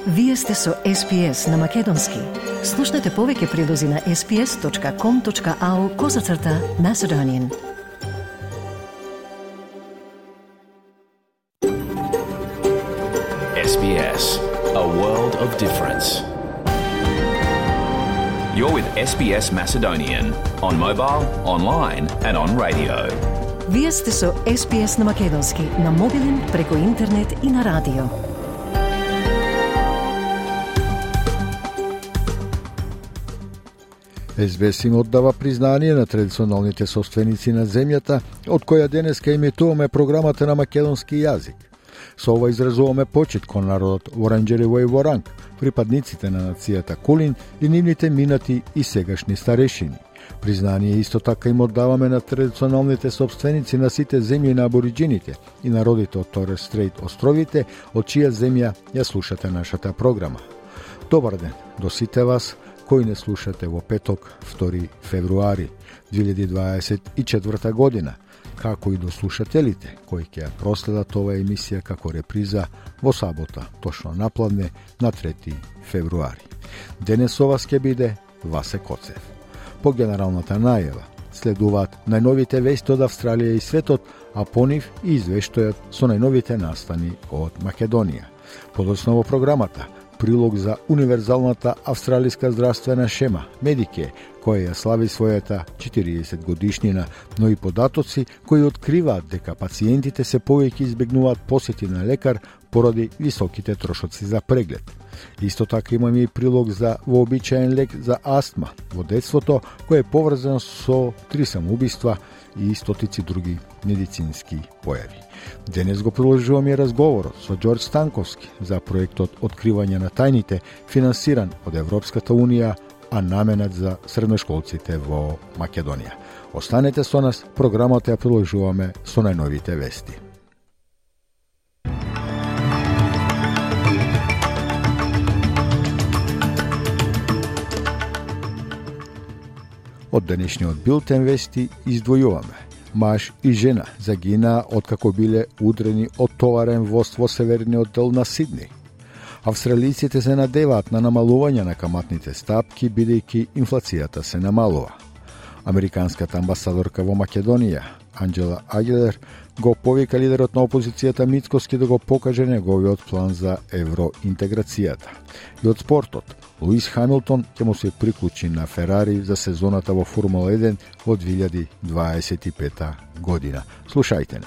Вие сте со SPS на Македонски. Слушнете повеќе прилози на sps.com.au/Macedonian. SBS, a world of difference. You're with SBS Macedonian on mobile, online and on radio. Вие сте со SPS на Македонски на мобилен, преку интернет и на радио. SBS им оддава признание на традиционалните собственици на земјата, од која денеска емитуваме програмата на македонски јазик. Со ова изразуваме почит кон народот Воранџерево и Воранг, припадниците на нацијата Кулин и нивните минати и сегашни старешини. Признание исто така им оддаваме на традиционалните собственици на сите земји на абориџините и народите од Торес Стрейт островите, од чија земја ја слушате нашата програма. Добар ден до сите вас кои не слушате во петок, 2 февруари 2024 година, како и до слушателите кои ќе ја проследат ова емисија како реприза во сабота, точно напладне на 3 февруари. Денес ова ќе биде Васе Коцев. По генералната најава следуваат најновите вести од Австралија и светот, а по нив и извештајот со најновите настани од Македонија. Подоцна во програмата прилог за универзалната австралиска здравствена шема Медике, која ја слави својата 40 годишнина, но и податоци кои откриваат дека пациентите се повеќе избегнуваат посети на лекар поради високите трошоци за преглед. Исто така имаме и прилог за вообичаен лек за астма во детството, кој е поврзан со 3 самоубиства и стотици други медицински појави. Денес го продолжуваме разговорот со Ѓорѓ Станковски за проектот Откривање на тајните, финансиран од Европската Унија, а наменат за средношколците во Македонија. Останете со нас, програмата ја продолжуваме со најновите вести. Од денешниот билтен вести издвојуваме. Маж и жена загинаа откако биле удрени од товарен воз во северниот дел на Сидни. Австралиците се надеваат на намалување на каматните стапки, бидејќи инфлацијата се намалува. Американската амбасадорка во Македонија, Анджела Агилер, го повика лидерот на опозицијата Мицкоски да го покаже неговиот план за евроинтеграцијата. И од спортот, Луис Хамилтон ќе му се приклучи на Ферари за сезоната во Формула 1 во 2025 година. Слушајте не.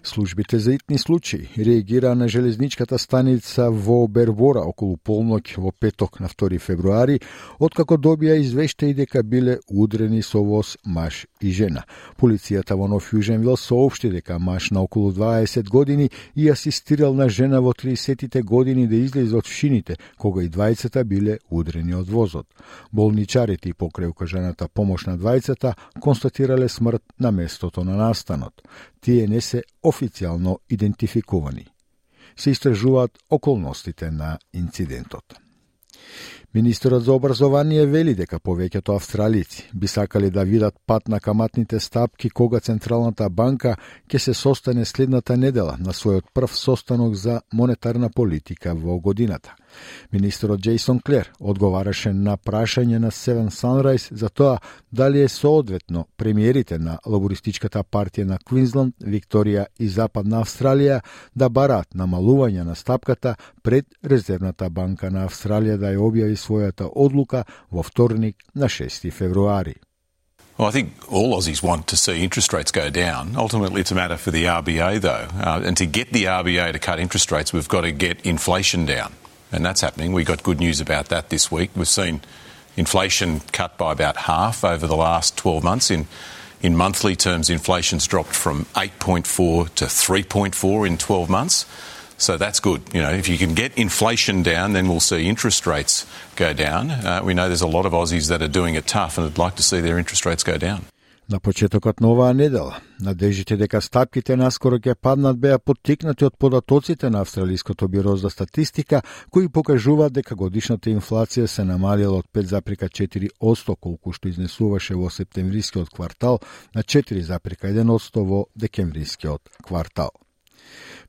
Службите за итни случаи реагираа на железничката станица во Бербора околу полноќ во петок на 2 февруари, откако добија извештаи дека биле удрени со воз маж и жена. Полицијата во Нов Јужен Вел соопшти дека маж на околу 20 години и асистирал на жена во 30-тите години да излезе од шините, кога и двајцата биле удрени од возот. Болничарите и покрај укажаната помош на двајцата констатирале смрт на местото на настанот. Тие не се официјално идентификувани. Се истражуваат околностите на инцидентот. Министерот за образование вели дека повеќето австралици би сакале да видат пат на каматните стапки кога Централната банка ќе се состане следната недела на својот прв состанок за монетарна политика во годината. Министерот Джейсон Клер одговараше на прашање на Seven Sunrise за тоа дали е соодветно премиерите на лабористичката партија на Квинсленд, Викторија и Западна Австралија да бараат намалување на стапката пред Резервната банка на Австралија да ја објави својата одлука во вторник на 6 февруари. Well, I think all Aussies want to see interest rates go down. Ultimately, it's a matter for the RBA, though. And to get the RBA to cut interest rates, we've got to get inflation down. And that's happening. We got good news about that this week. We've seen inflation cut by about half over the last 12 months. In monthly terms, inflation's dropped from 8.4 to 3.4 in 12 months. So that's good. You know, if you can get inflation down, then we'll see interest rates go down. We know there's a lot of Aussies that are doing it tough and would like to see their interest rates go down. На почетокот на оваа недела, надежите дека стапките наскоро ќе паднат беа поттикнати од податоците на Австралиското биро за статистика, кои покажуваат дека годишната инфлација се намалила од 5,4% колку што изнесуваше во септемврискиот квартал на 4,1% во декемврискиот квартал.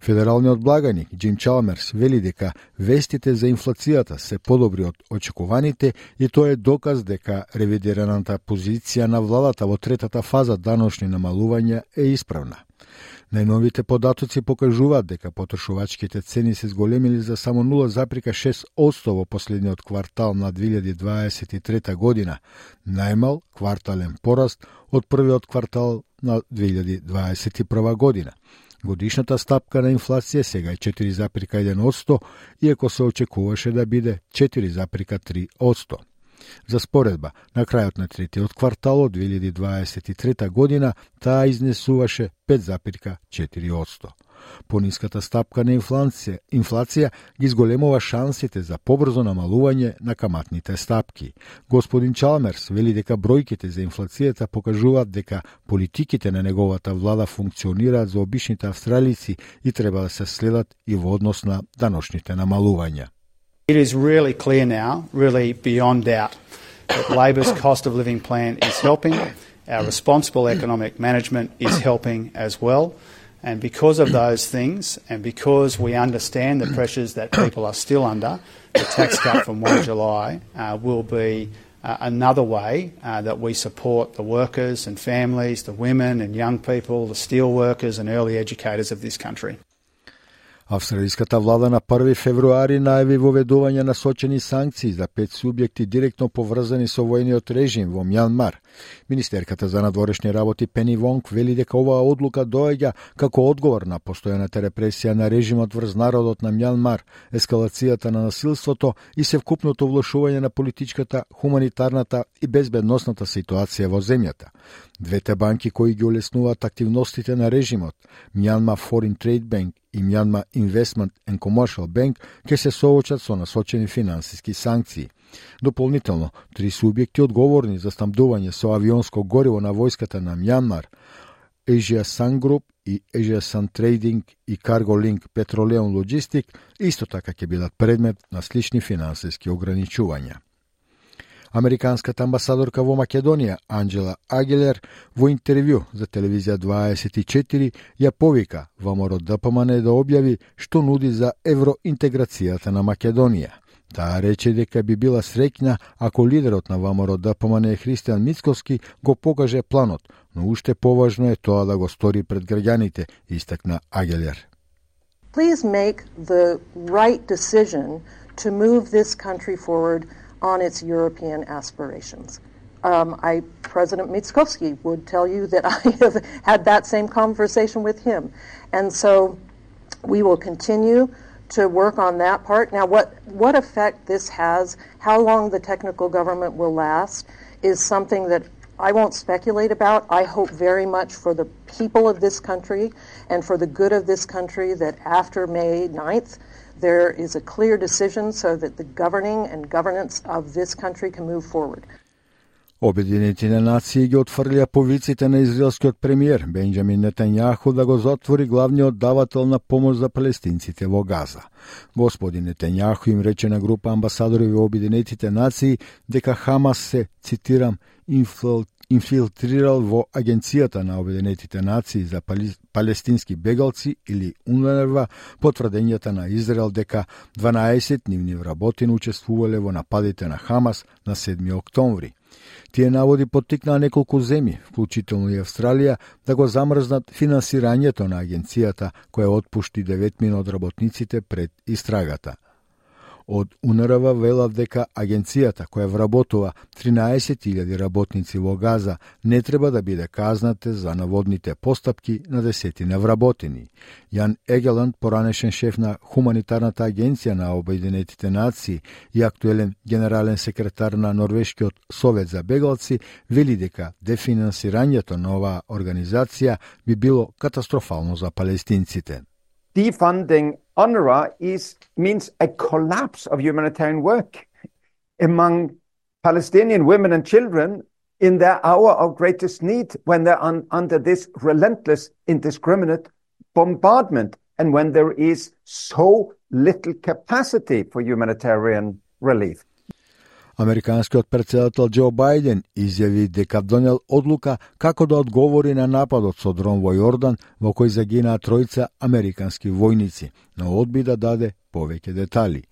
Федералниот благаник Джим Чалмерс вели дека вестите за инфлацијата се подобри од очекуваните и тоа е доказ дека ревидираната позиција на владата во третата фаза даночни намалувања е исправна. Најновите податоци покажуваат дека потрошувачките цени се зголемили за само 0,6% во последниот квартал на 2023 година, најмал квартален пораст од првиот квартал на 2021 година. Годишната стапка на инфлација сега е 4,1%, иако се очекуваше да биде 4,3%. За споредба, на крајот на третиот квартал од 2023 година таа изнесуваше 5,4%. Пониската стапка на инфлација ги зголемува шансите за побрзо намалување на каматните стапки. Господин Чалмерс вели дека бројките за инфлацијата покажуваат дека политиките на неговата влада функционираат за обичните австралици и треба да се следат и во однос на даночните намалувања. It is really clear now, really beyond doubt, that Labor's cost of living plan is helping. Our responsible economic management is helping as well. And because of those things, and because we understand the pressures that people are still under, the tax cut from 1 July will be another way that we support the workers and families, the women and young people, the steel workers and early educators of this country. Австралиската влада на 1 февруари најави воведување на сочени санкции за 5 субјекти директно поврзани со војниот режим во Мјанмар. Министерката за надворешни работи Пени Вонг вели дека оваа одлука доаѓа како одговор на постојаната репресија на режимот врз народот на Мјанмар, ескалацијата на насилството и севкупното влошување на политичката, хуманитарната и безбедносната ситуација во земјата. Двете банки кои ги улеснуваат активностите на режимот, Myanmar Foreign Trade Bank и Myanmar Investment and Commercial Bank, ќе се соочат со насочени финансиски санкции. Дополнително, 3 субјекти одговорни за снабдување со авионско гориво на војската на Мјанмар, Asia Sun Group и Asia Sun Trading и Cargo Link Petroleum Logistic, исто така ќе бидат предмет на слични финансиски ограничувања. Американската амбасадорка во Македонија, Анджела Агилер, во интервју за телевизија 24 ја повика ВМРО ДПМН да објави што нуди за евроинтеграцијата на Македонија. Таа рече дека би била среќна ако лидерот на ВМРО ДПМН Христијан Мицковски го покаже планот, но уште поважно е тоа да го стори пред граѓаните, истакна Агилер. Please make the right decision to move this country forward on its European aspirations. President Mickoski would tell you that I have had that same conversation with him. And so we will continue to work on that part. Now, what effect this has, how long the technical government will last, is something that I won't speculate about. I hope very much for the people of this country and for the good of this country that after May 9th, there is a clear decision so that the governing and governance of this country can move forward. Обединетите нации ги отфрлија повиците на израелскиот премиер Бенџамин Нетањаху да го затвори главниот давател на помош за палестинците во Газа. Господин Нетањаху им рече на група амбасадори во Обединетите нации дека Хамас се, цитирам, инфилтрирал во Агенцијата на Обединетите нации за палестински бегалци или УНРВА по тврдењата на Израел дека 12 нивни вработени учествувале во нападите на Хамас на 7 октомври. Тие наводи поттикнаа неколку земји, вклучително и Австралија, да го замрзнат финансирањето на агенцијата која отпушти 9 од работниците пред истрагата. Од УНРВ велат дека агенцијата која вработува 13.000 работници во Газа не треба да биде казната за наводните постапки на десетина вработени. Јан Егеланд, поранешен шеф на Хуманитарната агенција на Обединетите нации и актуелен генерален секретар на Норвешкиот совет за бегалци, вели дека дефинансирањето на оваа организација би било катастрофално за палестинците. Defunding UNRWA means a collapse of humanitarian work. Among Palestinian women and children, in their hour of greatest need, when they're under this relentless, indiscriminate bombardment, and when there is so little capacity for humanitarian relief. Американскиот претседател Џо Бајден изјави дека донел одлука како да одговори на нападот со дрон во Јордан, во кој загинаа тројца американски војници, но одби да даде повеќе детали.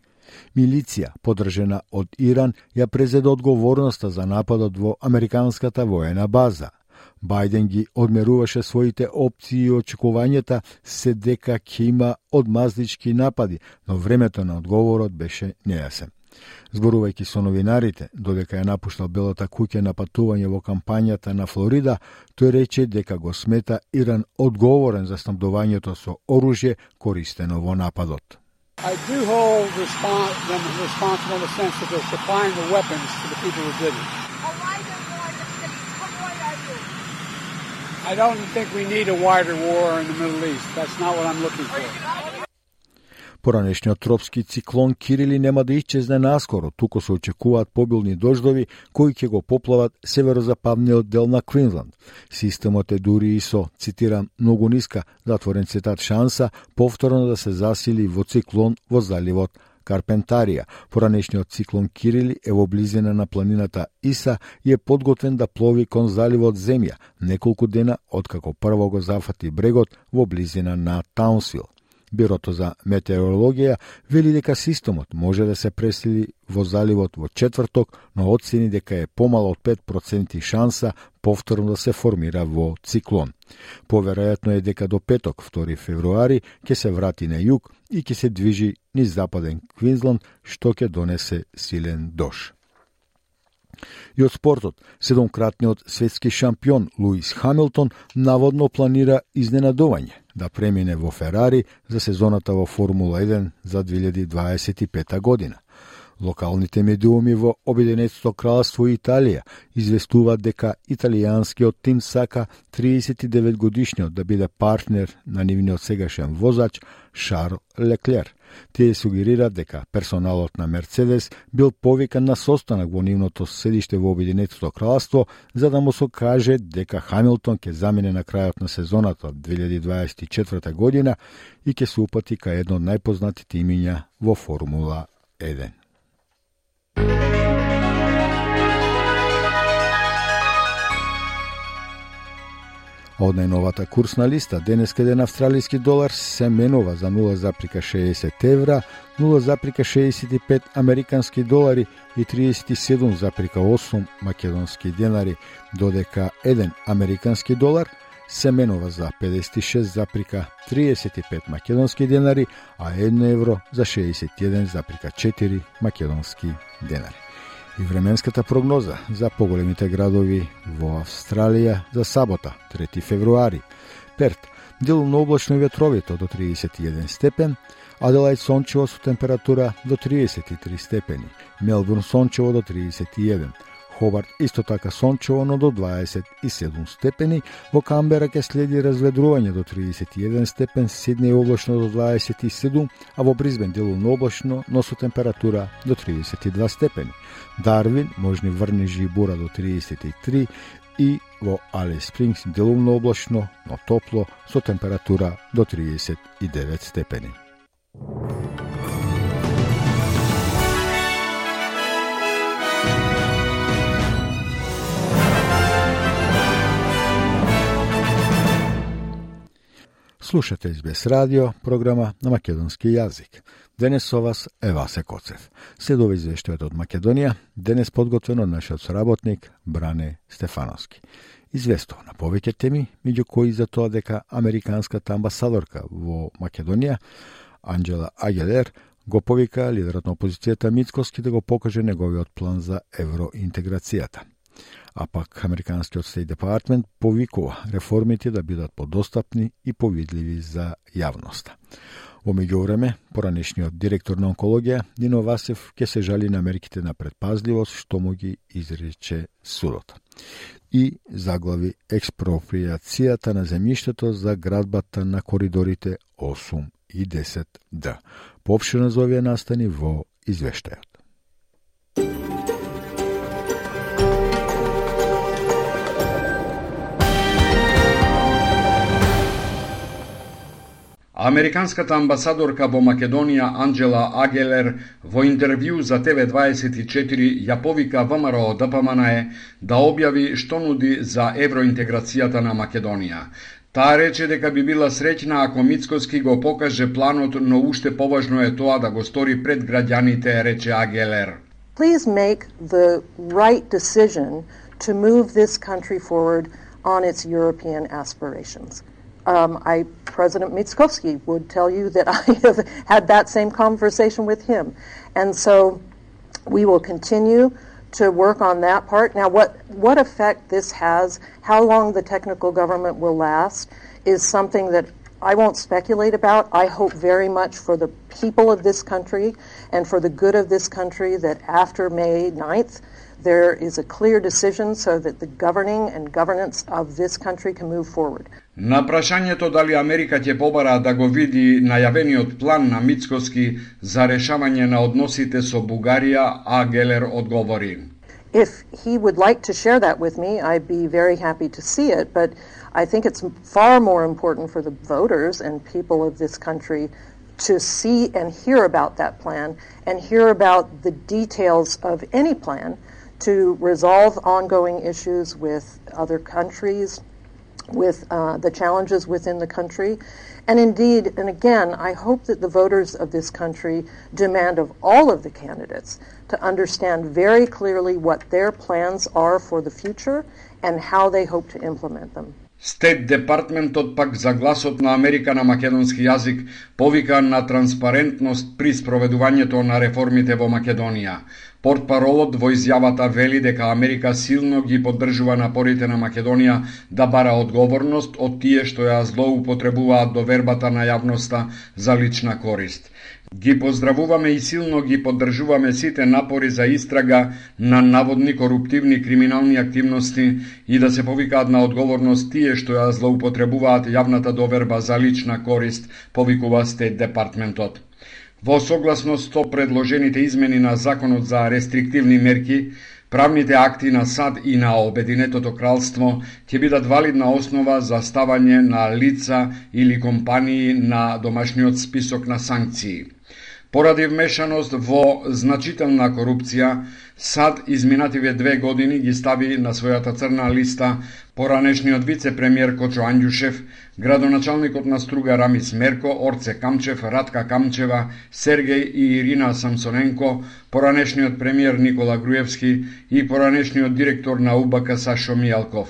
Милиција, подржена од Иран, ја презеде одговорноста за нападот во американската воена база. Бајден ги одмеруваше своите опции и очекувањата се дека ќе има одмазнички напади, но времето на одговорот беше нејасен. Зборувајќи со новинарите, додека ја напуштал Белата куќа на патување во кампањата на Флорида, тој рече дека го смета Иран одговорен за снабдувањето со оружје користено во нападот. I do hold them responsible in the sense that they're supplying the weapons to the people who did it. I don't think we need a wider war in the Middle East. That's not what I'm looking for. Поранешниот тропски циклон Кирили нема да исчезне наскоро, туку се очекуваат побилни дождови кои ќе го поплават северозападниот дел на Квинсленд. Системот е дури и со, цитирам, многу ниска, затворен цитат, шанса повторно да се засили во циклон во заливот Карпентарија. Поранешниот циклон Кирили е во близина на планината Иса и е подготвен да плови кон заливот Земја, неколку дена откако прво го зафати брегот во близина на Таунсвил. Бирото за метеорологија вели дека системот може да се пресили во заливот во четврток, но оцени дека е помало од 5% шанса повторно да се формира во циклон. Поверојатно е дека до петок, 2 февруари, ќе се врати на југ и ќе се движи низ западен Квинсленд, што ќе донесе силен дожд. И од спортот, 7-кратниот светски шампион Луис Хамилтон наводно планира изненадување да премине во Ферари за сезоната во Формула 1 за 2025 година. Локалните медиуми во Обединетото кралство и Италија известуваат дека италијанскиот тим сака 39-годишниот да биде партнер на нивниот сегашен возач Шарл Леклер. Тие сугерираат дека персоналот на Мерцедес бил повикан на состанок во нивното седиште во Обединетото кралство за да му се каже дека Хамилтон ќе замине на крајот на сезоната 2024 година и ќе се упати кај едно од најпознатите имиња во Формула 1. Од најновата курсна листа, денеска еден австралиски долар се менува за 0,60 евра, 0,65 американски долари и 37,8 македонски денари, додека еден американски долар се менува за 56,35 македонски денари, а 1 евро за 61,4 македонски денари. И временската прогноза за поголемите градови во Австралија за сабота, 3 февруари. Перт, делумно облачно и ветровито до 31 степен, Аделајд сончево со температура до 33 степени, Мелбурн сончево до 31, Хобарт исто така сончево, но до 27 степени, во Камбера ќе следи разведрување до 31 степен, Сиднеј облачно до 27, а во Бризбен делумно облачно, но со температура до 32 степени. Дарвин можни врнежи и бура до 33 и во Алис Спрингс делумно облачно, но топло со температура до 39 степени. Слушате SBS радио, програма на македонски јазик. Денес со вас е Васе Коцев. Следува извештајот од Македонија, денес подготвено од нашиот соработник Бране Стефановски. Известува на повеќе теми, меѓу кои за тоа дека американската амбасадорка во Македонија, Анджела Агелер, го повика лидерот на опозицијата Мицкоски да го покаже неговиот план за евроинтеграцијата. А пак Американскиот State Department повикува реформите да бидат подостапни и повидливи за јавноста. Во меѓувреме, поранешниот директор на онкологија, Нино Васев, ќе се жали на мерките на предпазливост што му ги изрече судот. И заглави експроприацијата на земјиштето за градбата на коридорите 8 и 10D. Поопширно за овие настани во извештајот. Американската амбасадорка во Македонија Анджела Агелер во интервју за TV24 ја повика ВМРО ДПМНЕ да објави што нуди за евроинтеграцијата на Македонија. Таа рече дека би била среќна ако Мицкоски го покаже планот, но уште поважно е тоа да го стори пред граѓаните, рече Агелер. Please make the right decision to move this country forward on its European aspirations. President Mickoski would tell you that I have had that same conversation with him. And so we will continue to work on that part. Now, what effect this has, how long the technical government will last, is something that I won't speculate about. I hope very much for the people of this country and for the good of this country that after May 9th, there is a clear decision so that the governing and governance of this country can move forward. На прашањето дали Америка ќе побара да го види најавениот план на Мицкоски за решавање на односите со Бугарија, Агелер одговори. If he would like to share that with me, I'd be very happy to see it, but I think it's far more important for the voters and people of this country to see and hear about that plan and hear about the details of any plan to resolve ongoing issues with other countries, with the challenges within the country. And indeed, and again, I hope that the voters of this country demand of all of the candidates to understand very clearly what their plans are for the future and how they hope to implement them. Стейт Департментот пак за гласот на Америка на македонски јазик повика на транспарентност при спроведувањето на реформите во Македонија. Портпаролот во изјавата вели дека Америка силно ги поддржува напорите на Македонија да бара одговорност од тие што ја злоупотребуваат довербата на јавноста за лична корист. Ги поздравуваме и силно ги поддржуваме сите напори за истрага на наводни коруптивни криминални активности и да се повикаат на одговорност тие што ја злоупотребуваат јавната доверба за лична корист, повикува Стейт Департментот. Во согласност со предложените измени на Законот за рестриктивни мерки, правните акти на САД и на Обединетото кралство ќе бидат валидна основа за ставање на лица или компании на домашниот список на санкции. Поради вмешаност во значителна корупција, САД изминативе 2 години ги стави на својата црна листа поранешниот вице-премиер Кочо Анѓушев, градоначалникот на Струга Рамис Мерко, Орце Камчев, Радка Камчева, Сергеј и Ирина Самсоненко, поранешниот премиер Никола Груевски и поранешниот директор на УБК Сашо Мијалков.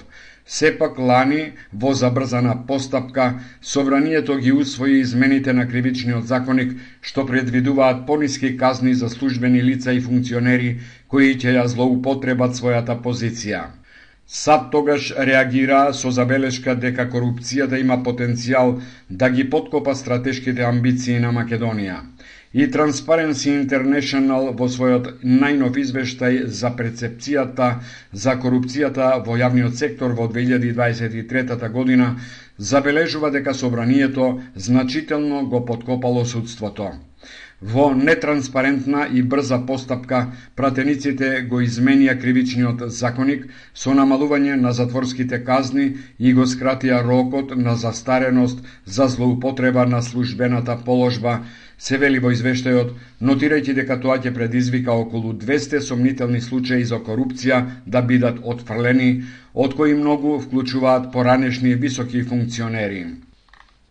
Сепак лани, во забрзана постапка, Собранието ги усвои измените на кривичниот законник, што предвидуваат пониски казни за службени лица и функционери кои ќе ја злоупотребат својата позиција. САД тогаш реагира со забелешка дека корупцијата има потенцијал да ги поткопа стратешките амбиции на Македонија. И Transparency International во својот најнов извештај за перцепцијата за корупцијата во јавниот сектор во 2023 година забележува дека Собранието значително го поткопало судството. Во нетранспарентна и брза постапка, пратениците го изменија кривичниот законник со намалување на затворските казни и го скратија рокот на застареност за злоупотреба на службената положба, се вели во извештајот, нотирајќи дека тоа ќе предизвика околу 200 сомнителни случаи за корупција да бидат отфрлени, од кои многу вклучуваат поранешни високи функционери.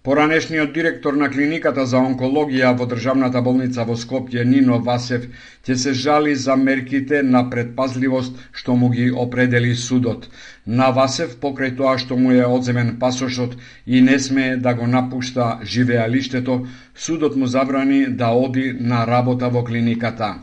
Поранешниот директор на клиниката за онкологија во државната болница во Скопје Нино Васев ќе се жали за мерките на предпазливост што му ги определи судот. На Васев, покрај тоа што му е одземен пасошот и не смее да го напушта живеалиштето, судот му забрани да оди на работа во клиниката.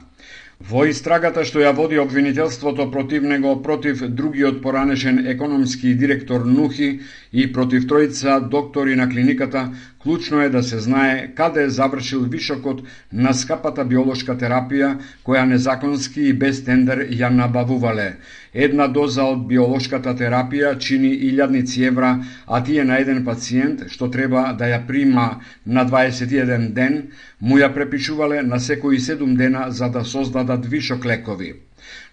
Во истрагата што ја води обвинителството против него, против другиот поранешен економски директор Нухи и против тројца доктори на клиниката, клучно е да се знае каде е завршил вишокот на скапата биолошка терапија, која незаконски и без тендер ја набавувале. Една доза од биолошката терапија чини 1000 евра, а тие на еден пациент, што треба да ја прима на 21 ден, му ја препишувале на секои 7 дена за да создадат вишок лекови.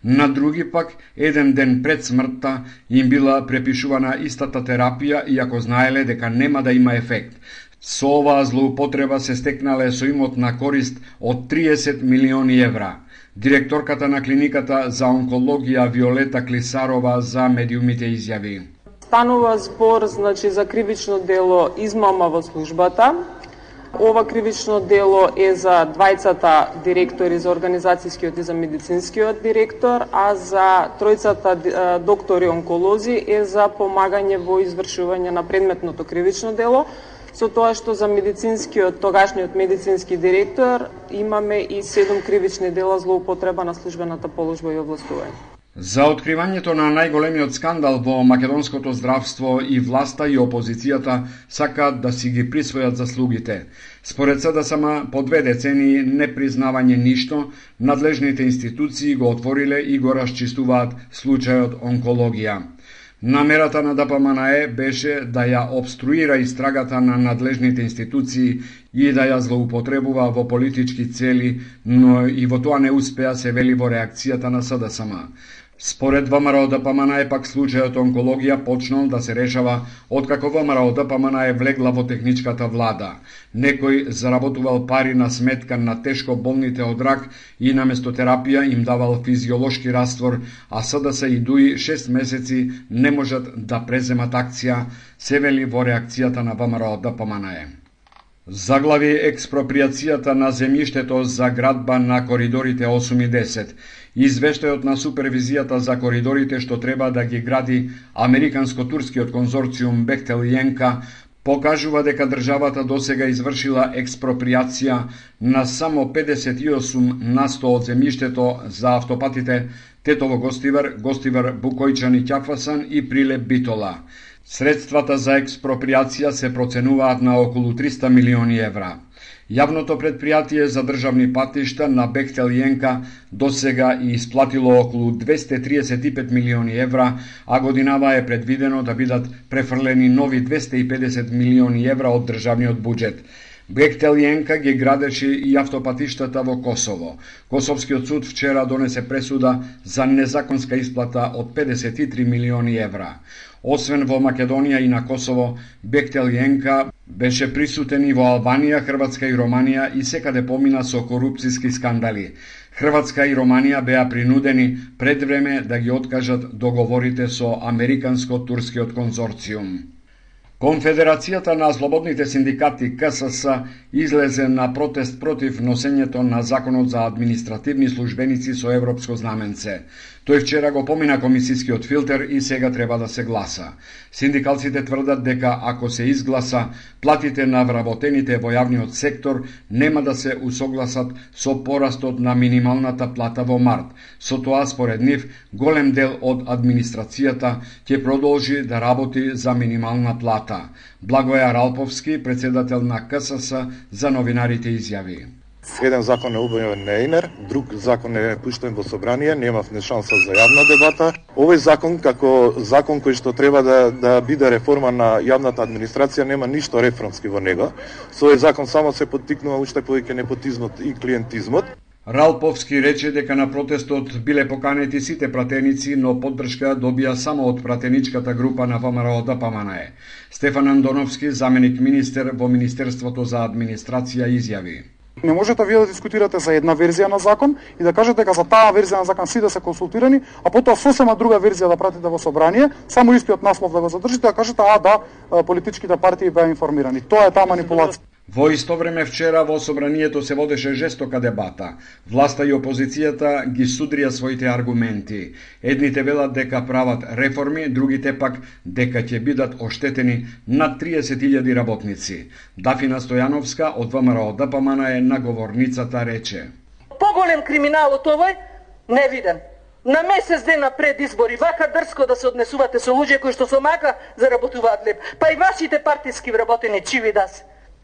На други пак, еден ден пред смртта, им била препишувана истата терапија, иако знаеле дека нема да има ефект. Со оваа злоупотреба се стекнале со имот на корист од 30 милиони евра. Директорката на клиниката за онкологија Виолета Клисарова за медиумите изјави: Станува збор за кривично дело измама во службата. Ова кривично дело е за двајцата директори, за организацијскиот и за медицинскиот директор, а за тројцата доктори онколози е за помагање во извршување на предметното кривично дело, со тоа што за тогашниот медицински директор имаме и 7 кривични дела злоупотреба на службената положба и овластување. За откривањето на најголемиот скандал во македонското здравство и власта и опозицијата сакаат да си ги присвојат заслугите. Според СДСМ, по 2 децении не признавање ништо, надлежните институции го отвориле и го расчистуваат случајот онкологија. Намерата на ДПМНЕ беше да ја обструира истрагата на надлежните институции и да ја злоупотребува во политички цели, но и во тоа не успеа, се вели во реакцијата на СДСМ. Според ВМРО ДПМНЕ пак случајот онкологија почнал да се решава откако ВМРО ДПМНЕ влегла во техничката влада. Некој заработувал пари на сметка на тешко болните од рак и наместо терапија им давал физиолошки раствор, а СДС и ДУИ 6 месеци не можат да преземат акција, се вели во реакцијата на ВМРО ДПМНЕ. Заглави експроприацијата на земјиштето за градба на коридорите 8 и 10. Извештајот на супервизијата за коридорите што треба да ги гради американско-турскиот конзорциум Бехтел Јенка покажува дека државата досега извршила експроприација на само 58% од земјиштето за автопатите Тетово-Гостивар, Гостивар-Букојчани Ќафасан и Прилеп-Битола. Средствата за експроприација се проценуваат на околу 300 милиони евра. Јавното предпријатие за државни патишта на Бехтел Јенка досега и исплатило околу 235 милиони евра, а годинава е предвидено да бидат префрлени нови 250 милиони евра од државниот буџет. Бехтел Јенка ги градеше и автопатиштата во Косово. Косовскиот суд вчера донесе пресуда за незаконска исплата од 53 милиони евра. Освен во Македонија и на Косово, Бехтел Јенка беше присутен и во Албанија, Хрватска и Романија и секаде помина со корупцијски скандали. Хрватска и Романија беа принудени пред време да ги откажат договорите со американско-турскиот конзорциум. Конфедерацијата на слободните синдикати КСС излезе на протест против носењето на законот за административни службеници со европско знаменце. Тој вчера го помина комисискиот филтер и сега треба да се гласа. Синдикалците тврдат дека ако се изгласа, платите на вработените во јавниот сектор нема да се усогласат со порастот на минималната плата во март. Со тоа, според нив, голем дел од администрацијата ќе продолжи да работи за минимална плата. Благоја Ралповски, председател на КСС, за новинарите изјави: Еден закон е објавен неинер, друг закон е пуштен во собрание, немавме шанса за јавна дебата. Овој закон, како закон кој што треба да биде реформа на јавната администрација, нема ништо реформски во него. Со овој закон само се поттикнува уште повеќе непотизмот и клиентизмот. Ралповски рече дека на протестот биле поканети сите пратеници, но поддршка добија само од пратеничката група на ВМРО ДПМНЕ. Стефан Андоновски, заменик министер во Министерството за администрација, изјави: Не можете вие да дискутирате за една верзија на закон и да кажете дека за таа верзија на закон сите се консултирани, а потоа сосема друга верзија да пратите во собрание, само истиот наслов да го задржите, да кажете политичките партии беа информирани. Тоа е таа манипулација. Во исто време вчера во собранието се водеше жестока дебата. Власта и опозицијата ги судрија своите аргументи. Едните велат дека прават реформи, другите пак дека ќе бидат оштетени над 30.000 работници. Дафина Стојановска од ВМРО ДПМНЕ на говорницата рече: Поголем криминал од овој не виден. На месец дена пред избори вака дрско да се однесувате со луѓе кои што со мака заработуваат леп. Па и вашите партиски вработени чиви да се.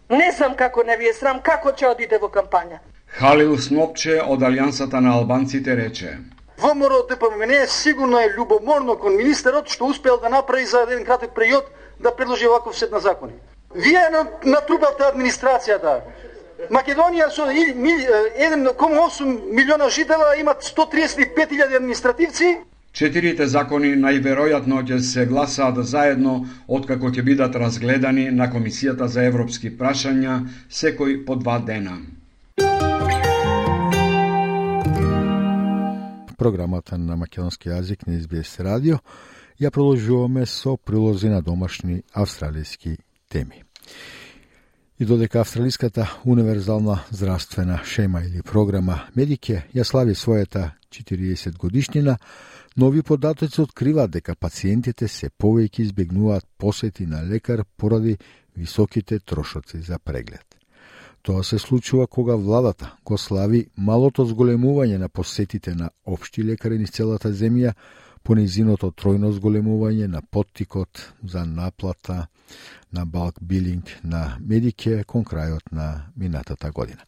Не знам како не ви е срам, како ќе одите во кампања. Халил Снопче од Алијансата на албанците рече: ВМРО ДПМНЕ сигурно е љубоморно кон министерот што успел да направи за еден краток период да предложи ваков сет на закони. Вие натрупавте администрацијата. Македонија со 1,8 милиона жители имат 135.000 административци. 4 закони најверојатно ќе се гласаат заедно откако ќе бидат разгледани на Комисијата за европски прашања секој по 2 дена. Програмата на македонски јазик на SBS радио ја продолжуваме со прилози на домашни австралијски теми. И додека австралиската универзална здравствена шема или програма Медике ја слави својата 40 годишнина, нови податоци откриваат дека пациентите се повеќе избегнуваат посети на лекар поради високите трошоци за преглед. Тоа се случува кога владата го слави малото зголемување на посетите на општи лекари низ целата земја, по низиното тројно зголемување на поттикот за наплата на балк билинг на Медике кон крајот на минатата година.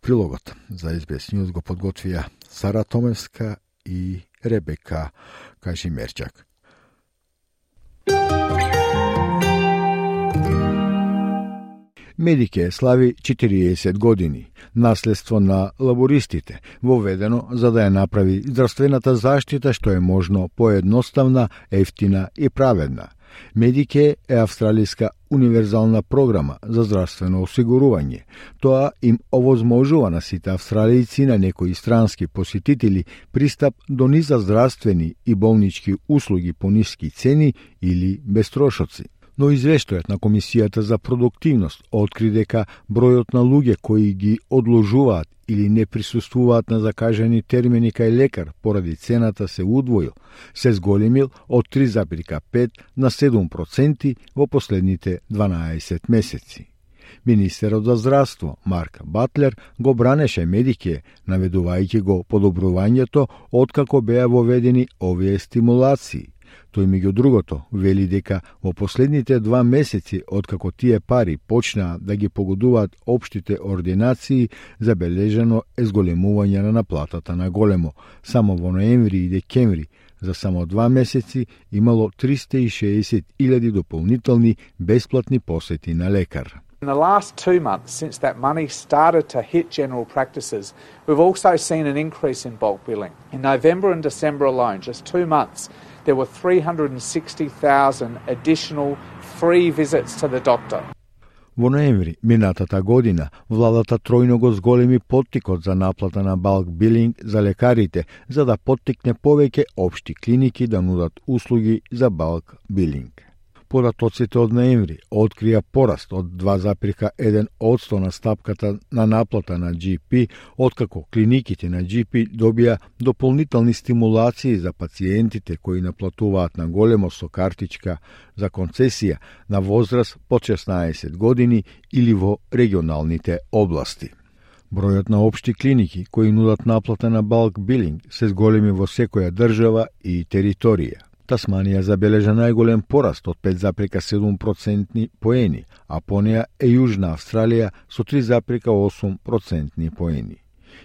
Прилогот за SBS News го подготвија Сара Томевска и Ребека Кажимерчак. Медике слави 40 години, наследство на лабористите, воведено за да ја направи здравствената заштита што е можно поедноставна, ефтина и праведна. Медике е австралиска универзална програма за здравствено осигурување. Тоа им овозможува на сите австралијци на некои странски посетители пристап до низа здравствени и болнички услуги по ниски цени или без трошоци. Но извештајот на Комисијата за продуктивност откри дека бројот на луѓе кои ги одложуваат или не присуствуваат на закажани термини кај лекар поради цената се удвоил, се зголемил од 3,5 на 7% во последните 12 месеци. Министерот за здравство Марк Батлер го бранеше Медике, наведувајќи го подобрувањето откако беа воведени овие стимулации. Тој меѓу другото вели дека во последните 2 месеци откако тие пари почнаа да ги погодуваат општите ординации, забележано е зголемување на наплатата на големо. Само во ноември и декември за само 2 месеци имало 360.000 дополнителни бесплатни посети на лекар. In the last 2 months, since that money started to hit general practices, we've also seen an increase in bulk billing. In November and December alone, just 2 months, there were 360,000 additional free visits to the doctor. Во ноември минатата година, владата тројно го зголеми поттикот за наплата на балк билинг за лекарите, за да поттикне повеќе општи клиники да нудат услуги за балк билинг. Податоците од ноември открија пораст од 2,1% на стапката на наплата на GP, откако клиниките на GP добија дополнителни стимулации за пациентите кои наплатуваат на големо со картичка за концесија на возраст под 16 години или во регионалните области. Бројот на општи клиники кои нудат наплата на балк билинг се зголеми во секоја држава и територија. Тасманија забележа најголем пораст од 5,7% поени, а по неа е Јужна Австралија со 3,8% поени.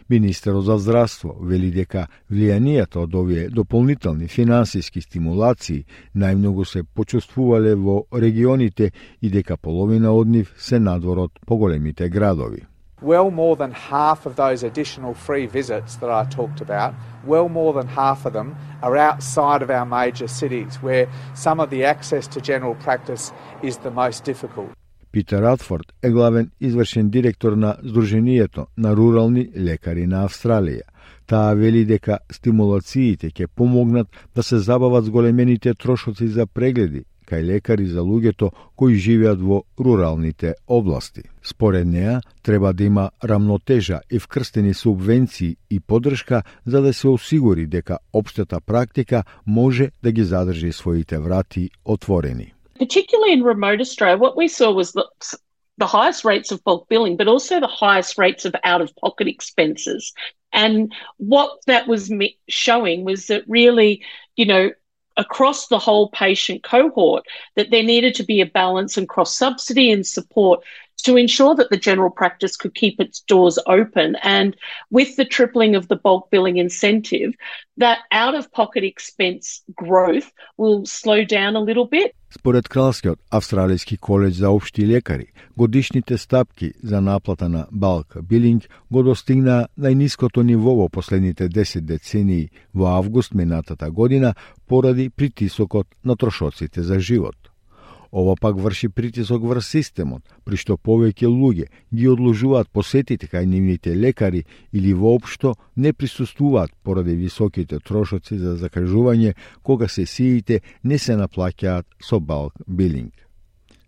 Министерот за здравство вели дека влијанието од овие дополнителни финансиски стимулации најмногу се почувствувале во регионите и дека половина од нив се надвор од поголемите градови. Well more than half of those additional free visits that I talked about, well more than half of them are outside of our major cities where some of the access to general practice is the most difficult. Питер Радфорд е главен извршен директор на Сдруженијето на рурални лекари на Австралија. Таа вели дека стимулациите ќе помогнат да се забават зголемените трошоци за прегледи кај лекари за луѓето кои живеат во руралните области. Според неа, треба да има рамнотежа и вкрстени субвенции и поддршка за да се осигури дека општата практика може да ги задржи своите врати отворени. Particularly in remote Australia, what we saw was the highest rates of bulk billing, but also the highest rates of out-of-pocket expenses. And what that was showing was that really, across the whole patient cohort, that there needed to be a balance and cross-subsidy and support to ensure that the general practice could keep its doors open. And with the tripling of the bulk billing incentive, that out-of-pocket expense growth will slow down a little bit. Според Кралскиот австралијски колеж за општи лекари, годишните стапки за наплата на bulk billing го достигна најниското ниво во последните 10 децении во август минатата година поради притисокот на трошоците за живот. Ова пак врши притисок врз системот, при што повеќе луѓе ги одложуваат посетите кај нивните лекари или воопшто не присуствуваат поради високите трошоци за закажување кога сесиите не се наплаќаат со bulk billing.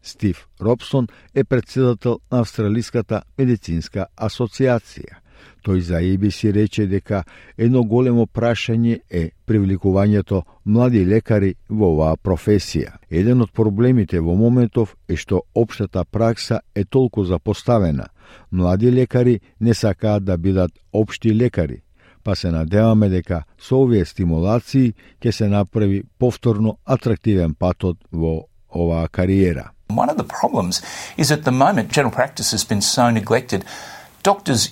Стив Робсон е председател на Австралиската медицинска асоциација. Тој за ABC рече дека едно големо прашање е привлекувањето млади лекари во оваа професија. Еден од проблемите во моментов е што општата пракса е толку запоставена. Млади лекари не сакаат да бидат општи лекари, па се надеваме дека со овие стимулации ќе се направи повторно атрактивен патот во оваа кариера. One of the problems is at the moment general practice has been so neglected.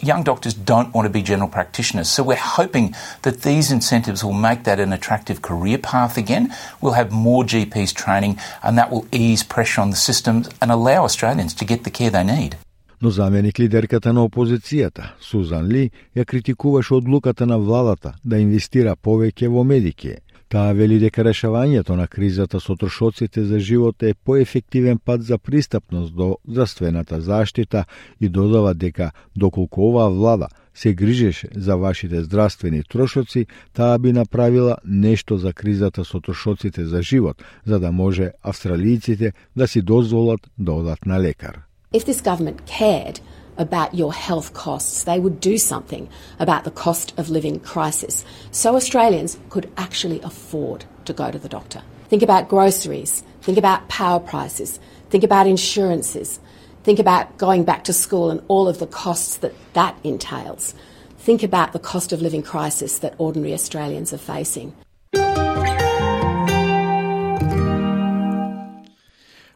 Young doctors don't want to be general practitioners, so we're hoping that these incentives will make that an attractive career path again. We'll have more GPs training and that will ease pressure on the systems and allow Australians to get the care they need. Но заменик лидерката на опозицијата, Сузан Ли, ја критикуваше одлуката на владата да инвестира повеќе во медике. Таа вели дека решавањето на кризата со трошоците за живот е поефективен пат за пристапност до здравствената заштита и додава дека доколку оваа влада се грижеше за вашите здравствени трошоци, таа би направила нешто за кризата со трошоците за живот, за да може австралијците да си дозволат да одат на лекар. If this government cared about your health costs, they would do something about the cost of living crisis so Australians could actually afford to go to the doctor. Think about groceries, think about power prices, think about insurances, think about going back to school and all of the costs that entails. Think about the cost of living crisis that ordinary Australians are facing.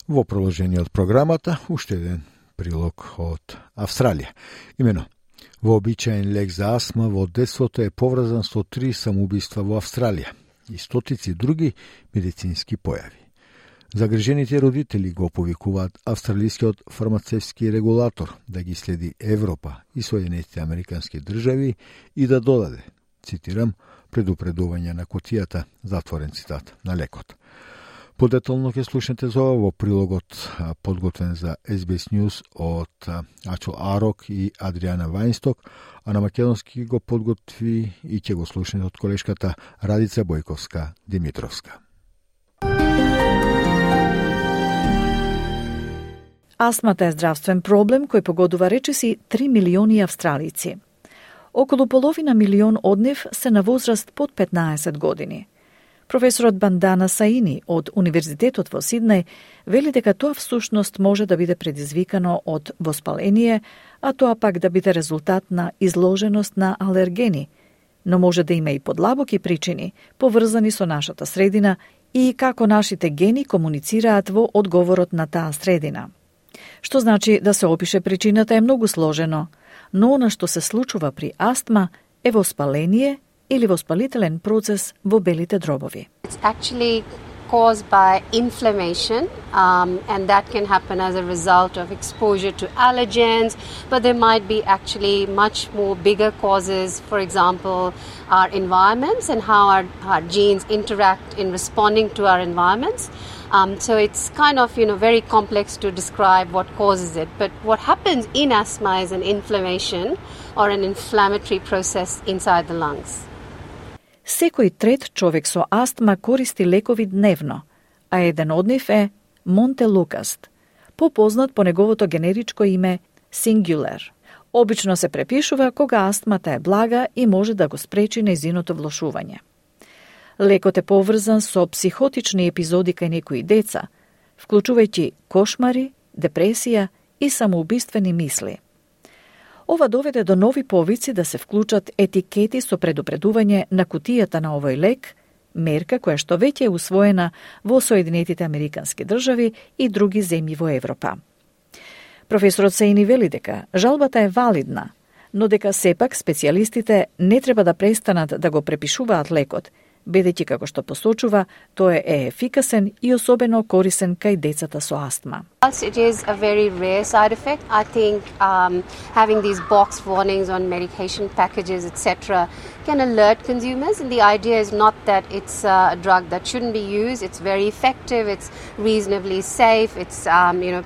Во продолжение од програмата, уште еден прилог од Австралија. Имено, вообичаен лек за астма во детството е поврзан со 3 самоубиства во Австралија и стотици други медицински појави. Загрижените родители го повикуваат австралискиот фармацевски регулатор да ги следи Европа и Соединетите американски држави и да додаде, цитирам, предупредување на кутијата, затворен цитат на лекот. Подетално ќе слушнете за ова во прилогот подготвен за SBS News од Ачо Арок и Адриана Вајнсток, а на македонски го подготви и ќе го слушнете од колешката Радица Бојковска-Димитровска. Астмата е здравствен проблем кој погодува речиси 3 милиони австралици. Околу половина милион од нив се на возраст под 15 години. Професорот Бандана Саини од Универзитетот во Сиднеј вели дека тоа всушност може да биде предизвикано од воспаление, а тоа пак да биде резултат на изложеност на алергени, но може да има и подлабоки причини, поврзани со нашата средина и како нашите гени комуницираат во одговорот на таа средина. Што значи да се опише причината е многу сложено, но она што се случува при астма е воспаление или воспалителен процес во белите дробови. It's actually caused by inflammation, and that can happen as a result of exposure to allergens, but there might be actually much more bigger causes, for example, our environments and how our genes interact in responding to our environments. So it's kind of, very complex to describe what causes it, but what happens in asthma is an inflammation or an inflammatory process inside the lungs. Секој трет човек со астма користи лекови дневно, а еден од нив е Монтелукаст, попознат по неговото генеричко име Singular. Обично се препишува кога астмата е блага и може да го спречи нејзиното влошување. Лекот е поврзан со психотични епизоди кај некои деца, вклучувајќи кошмари, депресија и самоубиствени мисли. Ова доведе до нови повици да се вклучат етикети со предупредување на кутијата на овој лек, мерка која што веќе е усвоена во Соединетите Американски држави и други земји во Европа. Професорот Саини вели дека жалбата е валидна, но дека сепак специјалистите не треба да престанат да го препишуваат лекот, бидејќи како што посочува, тој е ефикасен и особено корисен кај децата со астма. It is a very rare side effect. I think having these box warnings on medication packages, etc., can alert consumers. And the idea is not that it's a drug that shouldn't be used. It's very effective. It's reasonably safe. It's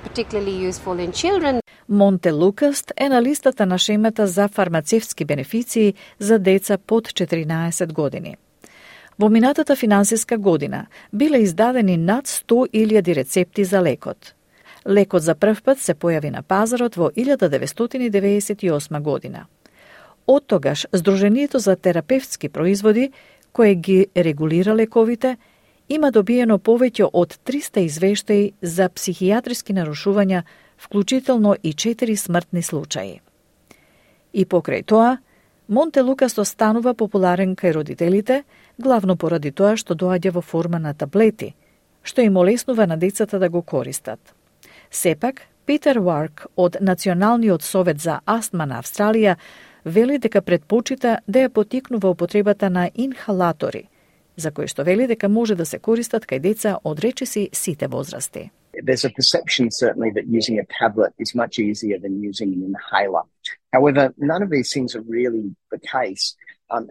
particularly useful in children. Монтелукаст е на листата на шемата за фармацевтски бенефиции за деца под 14 години. Во минатата финансиска година биле издадени над 100.000 рецепти за лекот. Лекот за прв пат се појави на пазарот во 1998 година. Од тогаш, Сдруженијето за терапевтски производи, кое ги регулира лековите, има добиено повеќе од 300 извештаи за психијатриски нарушувања, вклучително и 4 смртни случаи. И покрај тоа, Монтелукаст останува популарен кај родителите, главно поради тоа што доаѓа во форма на таблети, што им олеснува на децата да го користат. Сепак, Питер Варк од Националниот совет за астма на Австралија вели дека предпочита да ја потикнува употребата на инхалатори, за кои што вели дека може да се користат кај деца од речиси сите возрасти. There's a perception certainly that using a tablet is much easier than using an inhaler. However, none of these things are really the case.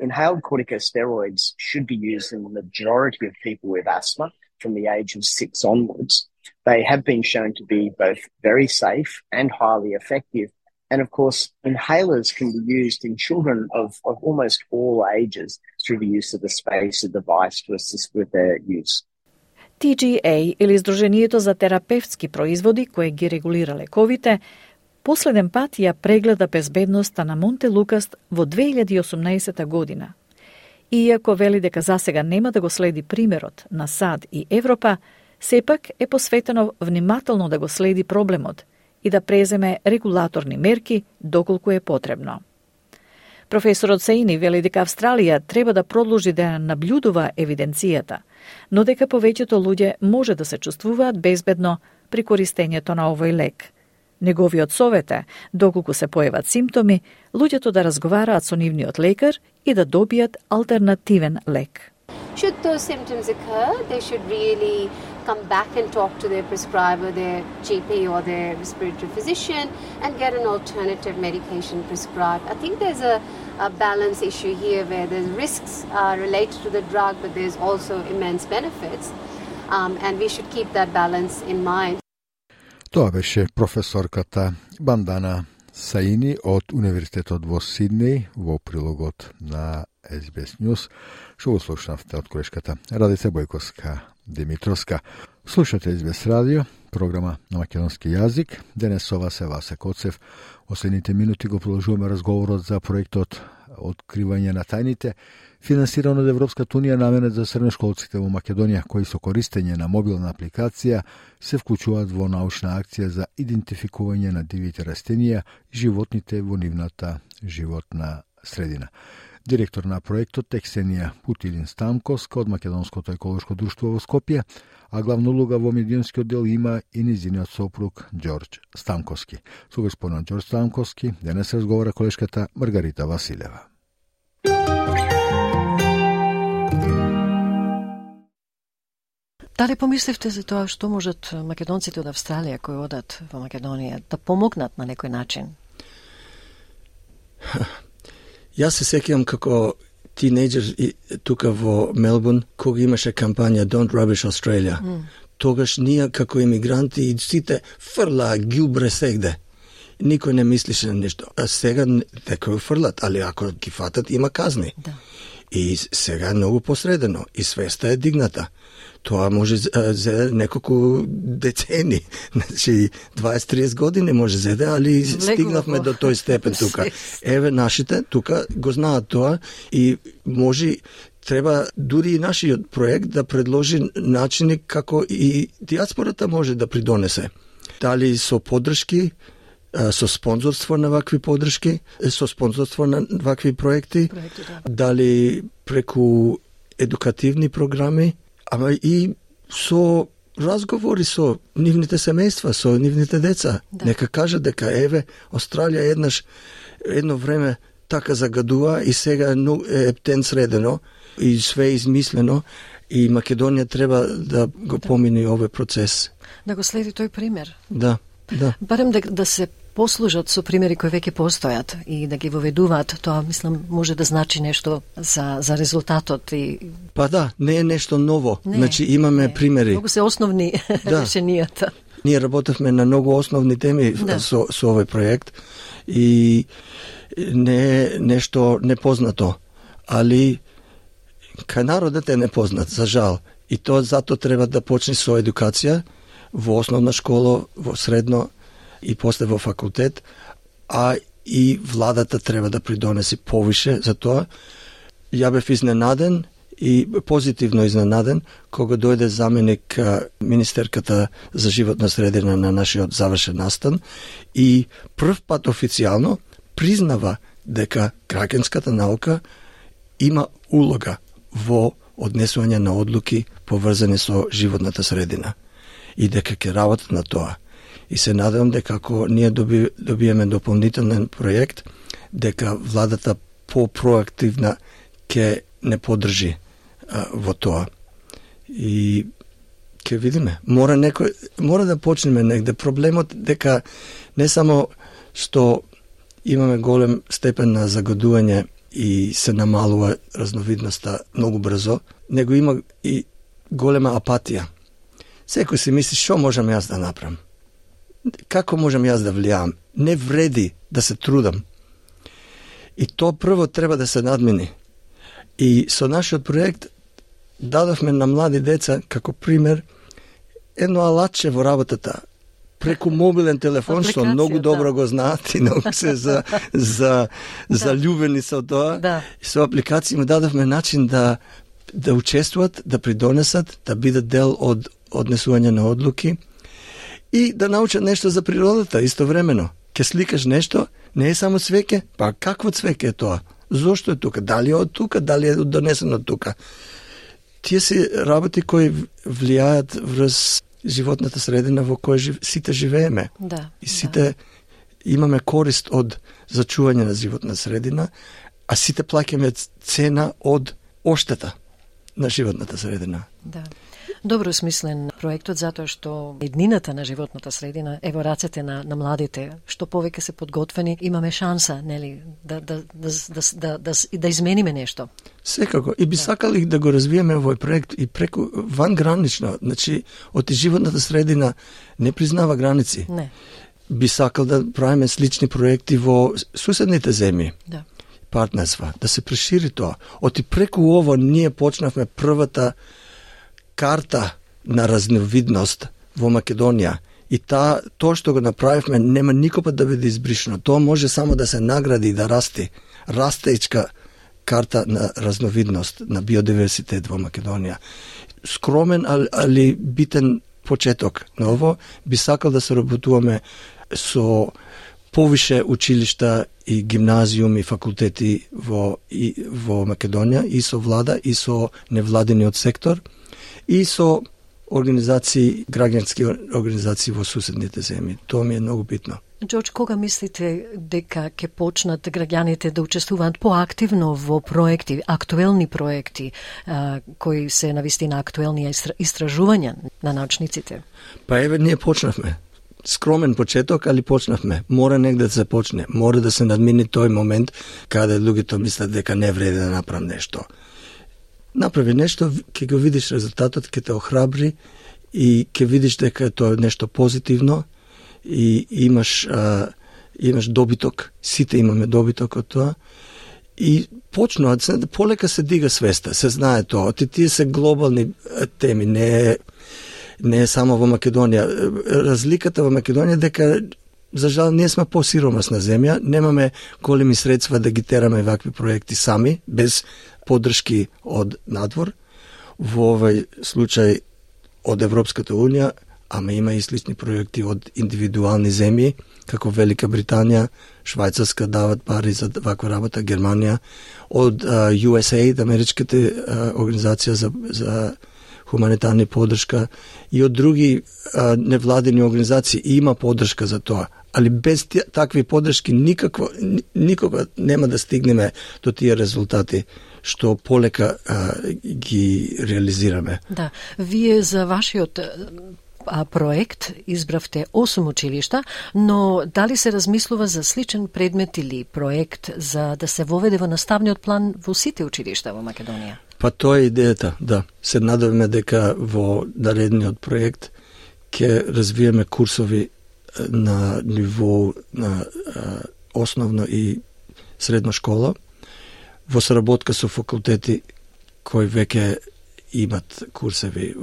Inhaled corticosteroids should be used in the majority of people with asthma from the age of 6 onwards. They have been shown to be both very safe and highly effective. And of course, inhalers can be used in children of almost all ages through the use of the spacer device to assist with their use. TGA или Сдруженијето за терапевтски производи, кое ги регулира лековите, последен пат ја прегледа безбедноста на Монтелукаст во 2018 година. Иако вели дека засега нема да го следи примерот на САД и Европа, сепак е посветено внимателно да го следи проблемот и да преземе регулаторни мерки доколку е потребно. Професорот Саини вели дека Австралија треба да продолжи да наблюдува евиденцијата, но дека повеќето луѓе може да се чувствуваат безбедно при користењето на овој лек. Неговиот совет е, доколку се појават симптоми, луѓето да разговараат со нивниот лекар и да добијат алтернативен лек. Should those symptoms occur, they should really come back and talk to their prescriber, their GP or their respiratory physician, and get an alternative medication prescribed. I think there's a balance issue here where there's risks related to the drug, but there's also immense benefits, and we should keep that balance in mind. Тоа беше професорката Бандана Саини од Универзитетот во Сиднеј во прилогот на SBS News, што го слушнавте од колешката Радица Бојковска-Димитровска. Слушате SBS радио, програма на македонски јазик. Денес ова се Васе Коцев. Последните минути го продолжуваме разговорот за проектот Откривање на тајните, финансиран од Европската унија, наменет за средношколците во Македонија, кои со користење на мобилна апликација се вклучуваат во научна акција за идентификување на дивите растенија и животните во нивната животна средина. Директор на проектот Ксенија Путилин-Стамковска од Македонското еколошко друштво во Скопје, а главна улога во медиумскиот дел има и низиниот сопруг Ѓорѓ Станковски. Со господинот Ѓорѓ Станковски денес разговара колешката Маргарита Василева. Дали помисливте за тоа што можат македонците од Австралија кои одат во Македонија да помогнат на некој начин? Јас се сеќавам како тинејџер тука во Мелбурн, кога имаше кампања Don't Rubbish Australia. Тогаш ние како емигранти и сите фрлаа ѓубре сегде. Никој не мислише на нешто. А сега некој фрлат, али ако ги фатат има казни. Да. И сега е многу посредено и свеста е дигната. Тоа може за неколку децени, значи 20-30 години може зеде, али стигнавме до тој степен тука. Еве нашите тука го знаат тоа и може треба дури и нашиот проект да предложи начини како и диаспората може да придонесе. Дали со поддршки, со спонзорство на вакви поддршки, со спонзорство на вакви проекти, дали преку едукативни програми, ама и со разговори со нивните семејства, со нивните деца. Да. Нека кажат дека еве Австралија едно време така загадува и сега е ептен средено и све измислено и Македонија треба да го помине овој процес. Да го следи тој пример. Да. Барем да се послужат со примери кои веќе постојат и да ги воведуваат, тоа мислам може да значи нешто за резултатот и Па да, не е нешто ново. Значи имаме примери. Многу се основни решенијата. Ние работевме на многу основни теми со овој проект и не е нешто непознато, али кај народот е непознат, за жал. И тоа затоа треба да почне со едукација во основна школа, во средно и после во факултет, а и владата треба да придонеси повише за тоа. Ја бев изненаден и позитивно изненаден кога дојде заменик министерката за животна средина на нашиот завршен настан и прв пат официјално признава дека граѓанската наука има улога во однесување на одлуки поврзани со животната средина и дека ќе работат на тоа. И се надевам дека ако ние добиеме дополнителен проект, дека владата по-проактивна ќе не поддржи во тоа. И ќе видиме. Мора да почнеме негде. Проблемот дека не само што имаме голем степен на загадување и се намалува разновидноста многу брзо, него има и голема апатија. Секој си мисли што можам јас да направам. Како можам јас да влијам? Не вреди да се трудам. И тоа прво треба да се надмини. И со нашиот проект дадовме на млади деца, како пример, едно алатче во работата, преку мобилен телефон, што многу добро го знаат и многу се заљубени со тоа. И со апликација му дадовме начин да учествуват, да придонесат, да бидат дел од однесување на одлуки и да научат нешто за природата истовремено. Ке сликаш нешто, не е само цвеќе, па какво цвеќе е тоа? Зошто е тука? Дали е од тука, дали е донесено од тука? Тие се работи кои влијаат врз животната средина во која сите живееме. И сите имаме корист од зачување на животна средина, а сите плаќаме цена од оштета на животната средина. Да. Добро смислен проектот затоа што еднината на животната средина е во рацете на младите. Што повеќе се подготвени, имаме шанса, нели, да измениме нешто. Секако. И би сакали да го развиеме овој проект и преку вангранично. Значи, од животната средина не признава граници. Не. Би сакал да правиме слични проекти во суседните земји. Да. Партнерства, да се прошири тоа. Оти преку ово ние почнавме првата карта на разновидност во Македонија и тоа што го направивме нема никога да биде избришено. Тоа може само да се награди и да расти. Растеичка карта на разновидност, на биодиверситет во Македонија. Скромен, али битен почеток на ово. Би сакал да се работуваме со повише училишта и гимназиуми, факултети во Македонија и со влада и со невладениот сектор и со организации, граѓански организации во суседните земји. Тоа ми е многу битно. Џорџ, кога мислите дека ќе почнат граѓаните да учествуваат поактивно во проекти, актуелни проекти, кои се навистина актуелни истражувања на научниците? Па еве, ние почнавме. Скромен почеток, али почнавме. Мора негде да се почне. Мора да се надмини тој момент каде луѓето мислат дека не вреди да направам нешто. Направи нешто, ќе го видиш резултатот, ќе те охрабри и ќе видиш дека тоа е нешто позитивно и имаш добиток, сите имаме добиток од тоа и почнуваат, полека се дига свеста, се знае тоа, тие се глобални теми, не е само во Македонија. Разликата во Македонија дека за жал ние сме посиромасна земја, немаме големи средства да ги тераме вакви проекти сами, без поддршки од надвор. Во овој случај од Европската Унија, ама има и слични проекти од индивидуални земји, како Велика Британија, Швајцарска дават пари за ваква работа, Германија, од USAID, Америчката организација за хуманитарни подршка и од други невладини организации има подршка за тоа. Али без такви подршки никога нема да стигнеме до тие резултати што полека ги реализираме. Да, вие за вашиот проект избравте 8 училишта, но дали се размислува за сличен предмет или проект за да се воведе во наставниот план во сите училишта во Македонија? Па тоа е идејата, да. Се надеваме дека во наредниот проект ќе развиеме курсови на ниво на основно и средна школа во соработка со факултети кои веќе имат курсеви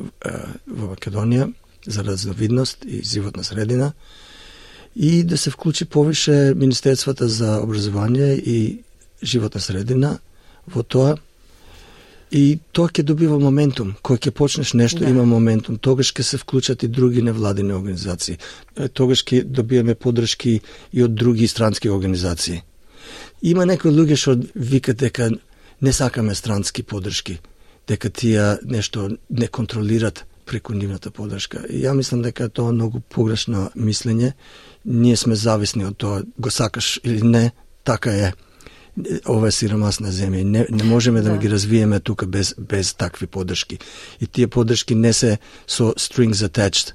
во Македонија за разновидност и животна средина и да се вклучи повише Министерствата за образование и животна средина во тоа. И тоа ќе добива моментум. Кога ќе почнеш нешто, има моментум. Тогаш ќе се вклучат и други невладини организации. Тогаш ќе добиеме подршки и од други странски организации. Има некои луѓе што викат дека не сакаме странски подршки, дека тие нешто не контролират преку нивната подршка. И ја мислам дека тоа е многу погрешно мислење. Ние сме зависни од тоа, го сакаш или не, така е. Ова е сиромасна земја. Не можеме да ги развиеме тука без такви подршки. И тие подршки не се со strings attached.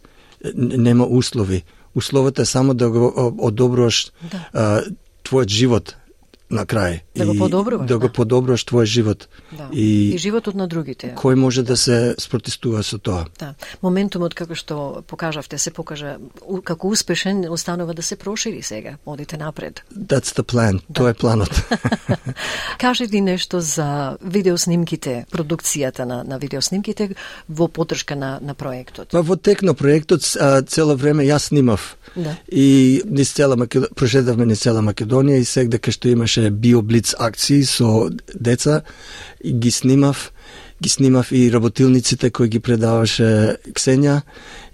Нема услови. Условата е само да го одобруваш твојот живот на крај. Да го подобруваш. Да го подобруваш твојот живот. Да. И животот на другите. Кој може да се спротестува со тоа? Да. Моментумот како што покажавте, се покажа како успешен, останува да се прошири сега. Одите напред. That's the plan. Тоа е планот. Кажете нешто за видеоснимките, продукцијата на видеоснимките во поддршка на проектот. Па во тек на проектот цело време јас снимав. Да. И прошетавме низ цела Македонија и сега дека што имаше биоблиц акции со деца, и ги снимав и работилниците кои ги предаваше Ксенија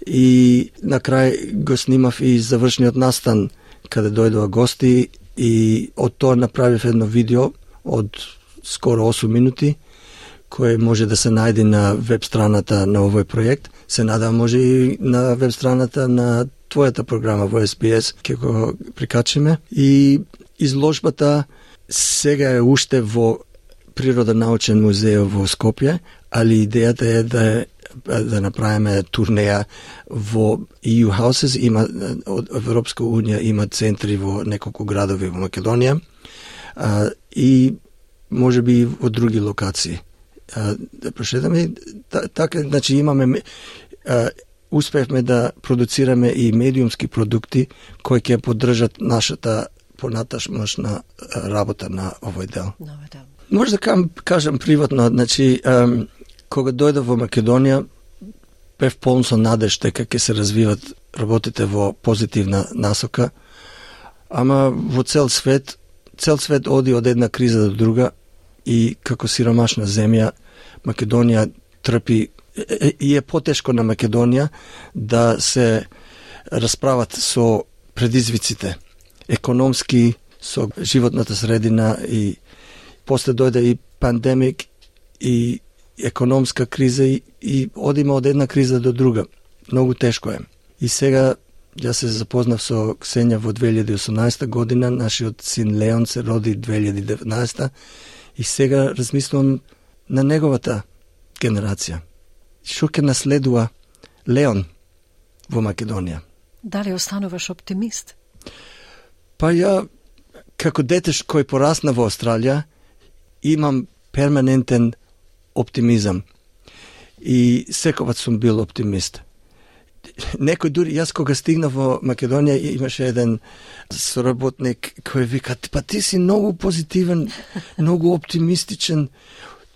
и на крај го снимав и завршниот настан каде дојдоа гости и од тоа направив едно видео од скоро 8 минути кој може да се најде на веб страната на овој проект. Се надам може и на веб страната на твојата програма во SBS ќе го прикачиме. И изложбата сега е уште во Природонаучен музеј во Скопје, али идејата е да направиме турнеја во EU Houses, има од Европска унија има центри во неколку градови во Македонија и може би во други локации. Да прошетаме така, значи имаме успевме да продуцираме и медиумски продукти кои ќе поддржат нашата понатамошна работа на овој дел. Може да кажам приватно, значи кога дојдов во Македонија бев полн со надеж дека ќе се развиват работите во позитивна насока, ама во цел свет оди од една криза до друга и како сиромашна земја Македонија трпи и е потешко на Македонија да се расправат со предизвиците економски, со животната средина и после дојде и пандемик и економска криза и одиме од една криза до друга. Многу тешко е. И сега јас се запознав со Ксенја во 2018 година, нашиот син Леон се роди 2019 и сега размислувам на неговата генерација. Што ќе наследува Леон во Македонија? Дали остануваш оптимист? Па ја, како дете кој порасна во Австралија, имам перманентен оптимизам. И секогаш сум бил оптимист. Некој дури, јас кога стигнав во Македонија, имаше еден соработник кој вика, па ти си многу позитивен, многу оптимистичен.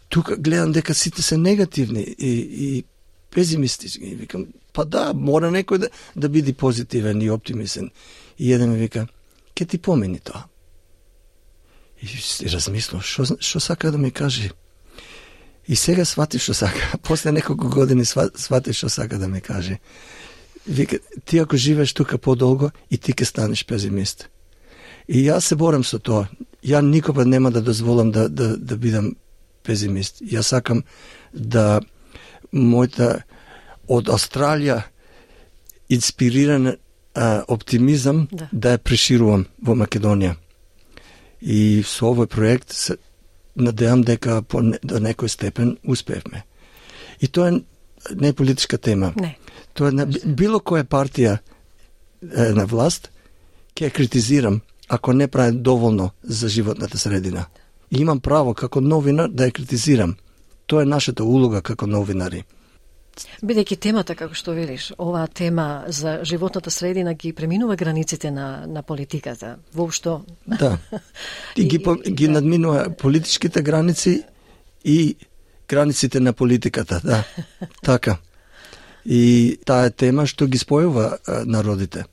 Тука гледам дека сите се негативни и песимистични. И викам, па да, мора некој да биде позитивен и оптимистен. И еден ми вика, ке ти помени тоа. И размислам, што сака да ми каже. И сега сватив што сака. После неколку години сватив што сака да ми каже. Вика, ти ако живееш тука подолго, и ти ке станеш песимист. И јас се борам со тоа. Ја никога нема да дозволам да бидам песимист. Јас сакам да мојата од Австралија инспириран оптимизам да ја преширувам во Македонија. И со овој проект се надевам дека до некој степен успеевме. И тоа не е политичка тема. Не. Тоа е било која партија на власт ќе критизирам ако не прави доволно за животната средина. И имам право како новинар да ја критизирам. Тоа е нашата улога како новинари. Бидејќи темата, како што велиш, оваа тема за животната средина ги преминува границите на политиката. Воопшто. Да. И ги надминува политичките граници и границите на политиката, да. Така. И таа е тема што ги спојува народите.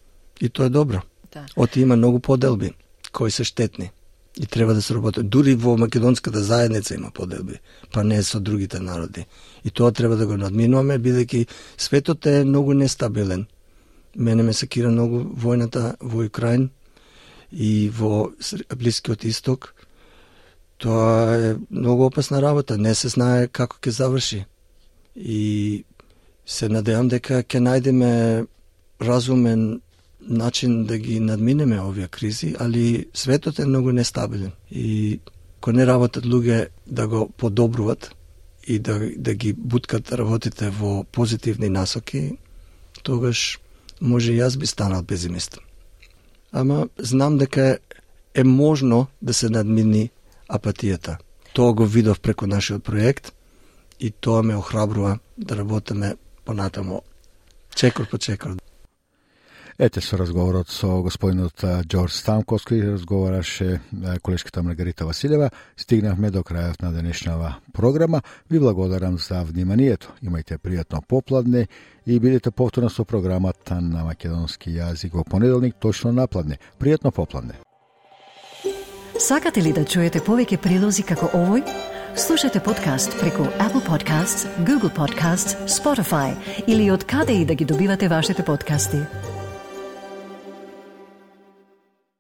И тоа е добро. Да. Оти има многу поделби кои се штетни и треба да се работи. Дури во македонската заедница има поделби, па не со другите народи. И тоа треба да го надминуваме, бидејќи светот е многу нестабилен. Мене ме секира многу војната во Украин и во Блискиот Исток. Тоа е многу опасна работа, не се знае како ќе заврши. И се надевам дека ќе најдеме разумен начин да ги надминеме овие кризи, али светот е многу нестабилен и кога не работат луѓе да го подобруват и да ги буткат работите во позитивни насоки, тогаш може и јас би станал песимист. Ама знам дека е можно да се надмини апатијата. Тоа го видов преку нашиот проект и тоа ме охрабрува да работиме понатамо, чекор по чекор. Ете со разговорот со господинот Ѓорџ Станковски, разговараше колешката Маргарита Василева. Стигнахме до крајот на денешната програма. Ви благодарам за вниманието. Имајте пријатно попладне и бидете повторно со програмата на македонски јазик во понеделник точно на пладне. Пријатно попладне. Сакате ли да чуете повеќе прилози како овој? Слушате подкаст преку Apple Podcasts, Google Podcasts, Spotify или од каде и да ги добивате вашите подкасти.